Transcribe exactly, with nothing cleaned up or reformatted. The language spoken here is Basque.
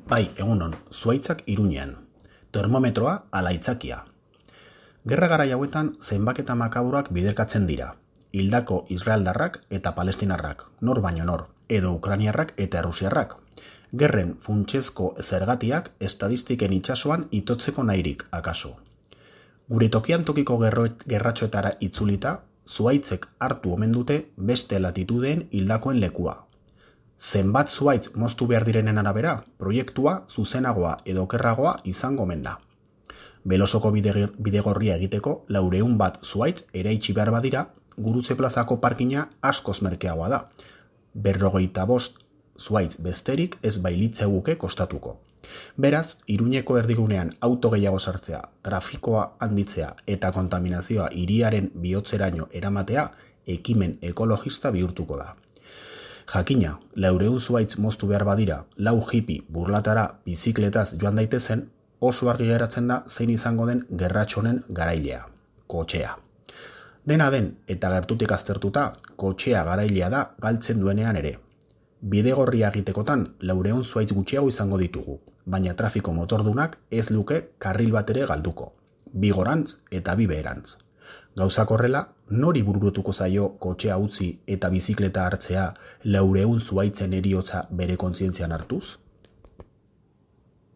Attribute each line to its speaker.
Speaker 1: Bai, egunon, zuhaitzak Iruñean. Termometroa ala aitzakia. Gerra garai hauetan zenbaketa makaburak biderkatzen dira. Hildako israeldarrak eta palestinarrak, nor baino nor, edo ukrainiarrak eta errusiarrak. Gerren funtsezko zergatiak estadistiken itsasoan itotzeko nahirik, akaso. Gure tokian tokiko gerratxoetara itzulita, zuhaitzek hartu omen dute beste latitudeen hildakoen lekua. Zenbat zuhaitz moztu behar direnen arabera, proiektua zuzenagoa edo okerragoa izango omen da. Belosoko bidegorria egiteko laureun bat zuhaitz eraitsi behar badira, Gurutze plazako parkina askoz merkeagoa da. Berrogeita bost zuhaitz besterik ez bailitzeguke kostatuko. Beraz, Iruñeko erdigunean auto gehiago sartzea, trafikoa handitzea eta kontaminazioa hiriaren bihotzeraino eramatea ekimen ekologista bihurtuko da. Jakina, laureun zuhaitz moztu behar badira, lau hipi burlatara bizikletaz joan daitezen, oso argi geratzen da zein izango den gerratxonen garailea, kotxea. Dena den eta gertutik aztertuta, kotxea garailea da galtzen duenean ere. Bidegorria egitekotan laureun zuhaitz gutxiago izango ditugu, baina trafiko motordunak ez luke karril bat ere galduko, bi gorantz eta bi beherantz. Gauzak horrela, nori burutuko zaio kotxea utzi eta bizikleta hartzea laureun zuhaitzen heriotza bere kontzientzian hartuz?